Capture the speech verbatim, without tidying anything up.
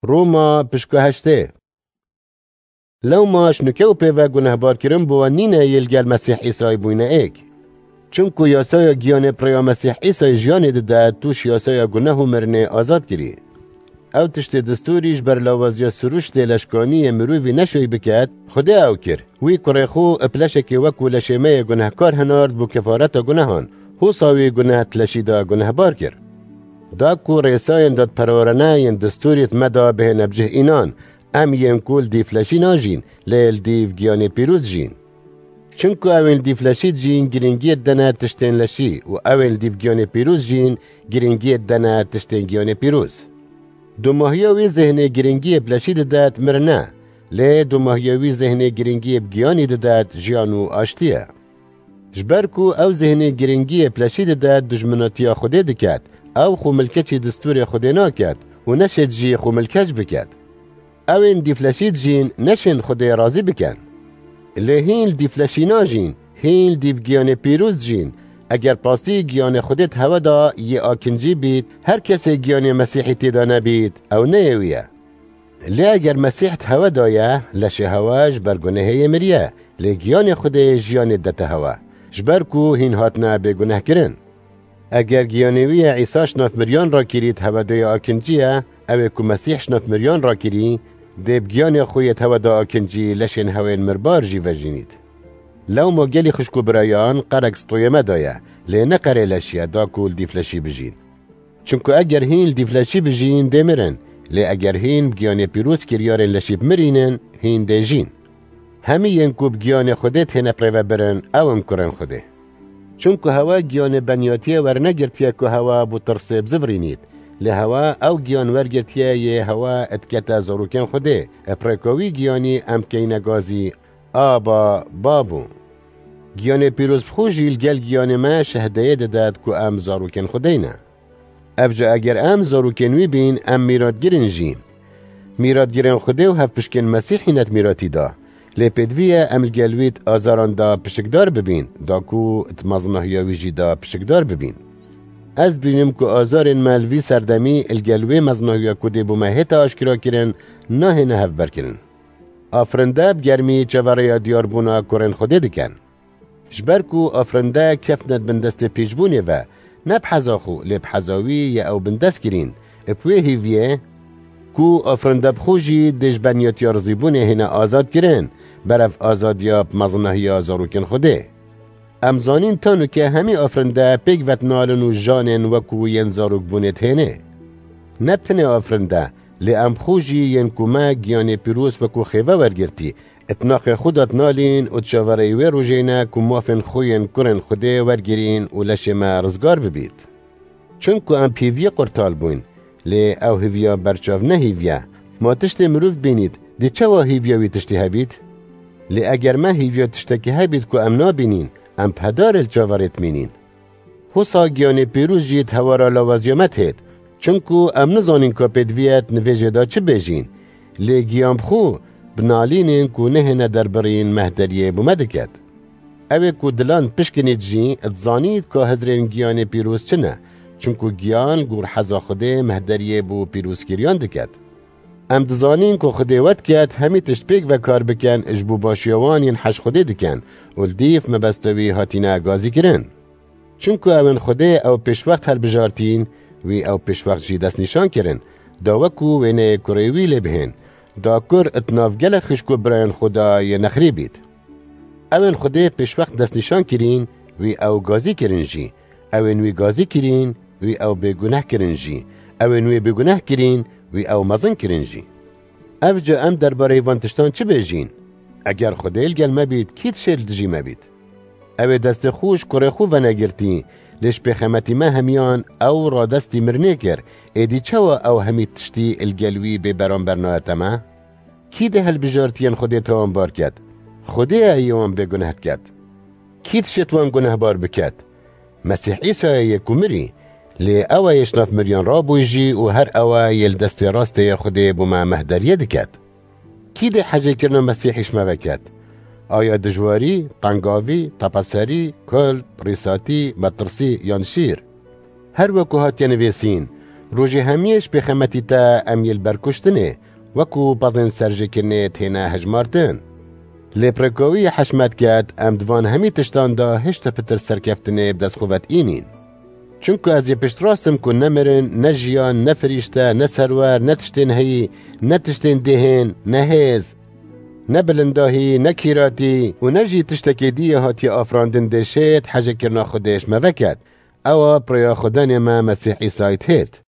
Roma pişka heştê. Lewma ji nuke û pê ve gunehbarkirin bi wan nîne yê li gel Mesîh Îsayê bûyne êk. Çimku yasaya giyanê bi rêya Mesîh Îsayê jiyanê dide, tu ji yasaya guneh û mirinê azad kirî. Ew tiştê distûrî ji ber lawaziya sirûştê leşkanî yê mirovî neşoy biket, Xwedê ew kir. Wî kurê xwe bi leşekê wekû leşê me yê gunehkar hinard bû kefareta gunehan. Hosa wî guneh di leşî de gunehbar kir. Da ku rêsayên dadperwerane yên distûrî di me de bihêne bi cih înan, em yên ku li dîv leşî najîn, lê li dîv giyanê pîroz jîn. Çimku ew ên li dîv leşî dijîn, girîngiyê didene tiştên leşî û ew ên li dîv giyanê pîroz jîn, girîngiyê didene tiştên giyanê pîroz. Domahiya wî zêhnê girîngiyê bi leşî dide di mirine, lê domahiya wî zêhnê girîngiyê bi giyanî dide di jiyan û aştiyê. Ji ber ku ew zêhnê girîngiyê bi leşî dide dijminatiya Xwedê diket, ew xwe milkeçî distûrê Xwedê naket û neşêt jî xwe milkeç biket. Ew ên dîv leşî dijîn neşên Xwedê razî bikin. Lê hîn li dîv leşî najîn, hîn li dîv giyanê pîroz dijîn. Eger bi rastî giyanê Xwedê di hewe de yê akincî bît, her kesê giyanê Mesîhî tê de nebît, ew ne yê wî ye. Lê eger Mesîh di hewe de ye, leşê hewe ji ber gunehê yê miriye, lê giyanê Xwedê jiyanê didete hewe, ji ber ku hîn hatine bêgunehkirin. Eger giyanê wî yê Îsa ji nav miriyan rakirî di hewe de yê akincî ye, ew ê ku Mesîh ji nav miriyan rakirî, dê bi giyanê xwe yê di hewe de akincî leşên hewên mirbar jî vejînît. Lewma gelî xwişk û birayan, qerek stoyê me de ye, lê ne qerê leşî ye, da ku li dîv leşî bijîn. Çimku eger hîn li dîv leşî bijîn, dê mirin, lê eger hîn bi giyanê pîroz kiryarên leşî bimirînin, hîn dê jîn. Hemî yên ku bi giyanê Xwedê têne bi rê ve birin, ew in kurên Xwedê. Çimku hewe giyanê beniyatiyê wernegirtiye ku hewe bo tirsê bizivirînît, lê hewe ew giyan wergirtiye yê hewe dikete zarokên Xwedê, bi rêka wî giyanî em dikeyne gazî, Aba, Babo. Giyanê pîroz bi xwe jî li gel giyanê me şehdeyê dide ku em zarokên Xwedê ne. Evca eger em zarokên wî bîn, em mîratgir in jî. Mîratgirên Xwedê û hevpişkên Mesîhî ne di mîratî de. Lê pêdivî ye em li gel wî di azaran de pişikdar bibîn, da ku di mezinahiya wî jî de pişikdar bibîn. Ez dibînim ku azarên me li vî serdemî li gel wê mezinahiya ku dê bo me hête aşkerakirin, nahêne hevberkirin. Afirinde bi germî çaverêya diyarbûna kurên Xwedê dikin. Ji ber ku afirinde ketine di bin destê pîçbûnê ve, ne bi heza xwe, lê bi heza wî yê ew bindest kirîn, bi wê hêviyê ku afirinde bi xwe jî dê ji beniyatiya rizîbûnê hêne azad kirin, berev azadiya bi mezinahiya zarokên Xwedê. Em zanîn tanuke hemî afirinde pêk ve dinalin û janên wekû yên zarokbûnê dihênê. Ne bi tenê afirinde, lê em bi xwe jî yên ku me giyanê pîroz wekû xêve wergirtî, di naxê xwe de dinalîn û di çaverêyî wê rojê ne ku mafên xwe yên kurên Xwedê wergirîn û leşê me rizgar bibît. Çimku em bi hêviyê qurtal bûyn, lê ew hêviya berçav ne hêviye. Ma tiştê mirov bînît, dê çawa hêviya wî tiştî hebît? Lê eger me hêviya tiştekî hebît ku em nabînîn, em bi hedarê li çaverê dimînîn. Hosa giyanê pîroz jî di hewara lawaziya me dihêt, çimku em nizanîn ka pêdivî ye di nivêjê de çi bêjîn, lê giyan bi xwe bi nalînên ku nehêne derbirîn mehderiyê bo me diket. Ew ê ku dilan pişkinît jî dizanît ka hizrên giyanê pîroz çi ne, çimku giyan gor heza Xwedê mehderiyê bo pîrozkiriyan diket. Em dizanîn ku Xwedê we diket hemî tişt pêk ve kar bikin ji bo başiya wan yên hej Xwedê dikin û li dîv mebesta wî hatine gazîkirin. Çimku ew ên Xwedê ew pêşwext hilbijartîn, wî ew pêşwext jî destnîşan kirin, da wekû wêneyê kurê wî lê bihên, da kur di nav gelek xwişk û birayên xwe de yê nexirî bît. Ew ên Xwedê pêşwext destnîşan kirîn, wî ew gazî kirin jî, ew ên wî gazî kirîn, wî ew bêguneh kirin jî, ew ên wî bêguneh kirîn, wî ew mezin kirin jî. Evca em derbareyî van tiştan çi bêjîn? Eger Xwedê li gel me bît, kî dişê li dijî me bît? Ew ê destê xwe ji kurê xwe venegirtî, lê ji pêxemetî me hemiyan ew radestî mirinê kir, êdî çawa ew hemî tiştî li gel wî bê beramber nayete me? Kî dê hilbijartiyên Xwedê tawanbar ket? Xwedê ye yê wan bêguneh diket. Kî dişêt wan gunehbar biket? Mesîh Îsa ye yê ku mirî, lê ew e yê ji nav miriyan rabûyî jî û her ew e yê li destê rastê yê Xwedê bo me mehderiyê diket. Kî dê hecêkirina Mesîhî ji me veket? Aya dijwarî, tengavî, tepeserî, kulp, rîsatî, metirsî yan şîr? Her wekû hatiye nivîsîn, Rojê hemiyê ji pêxemetî te em yê li ber kuştinê, wekû pezên serjêkirinê têne hejmartin. Lê pirêka wî yê heşmet ket, em di van hemî tiştan de hişta pitir serkeftinê bi dest xwe ve diînîn. Çunku ez yê piştrast im ku ne mirin, ne jiyan, ne firîşte, ne serwer, ne tiştên heyî, ne tiştên dêhên, ne hêz, ne bilindahî, ne kîratî û ne jî tiştekê dî yê hatiye afirandin dê şêt hejekirina Xwedê ji me veket. Ew a bi rêya Xwedanê me Mesîh Îsayî dihêt.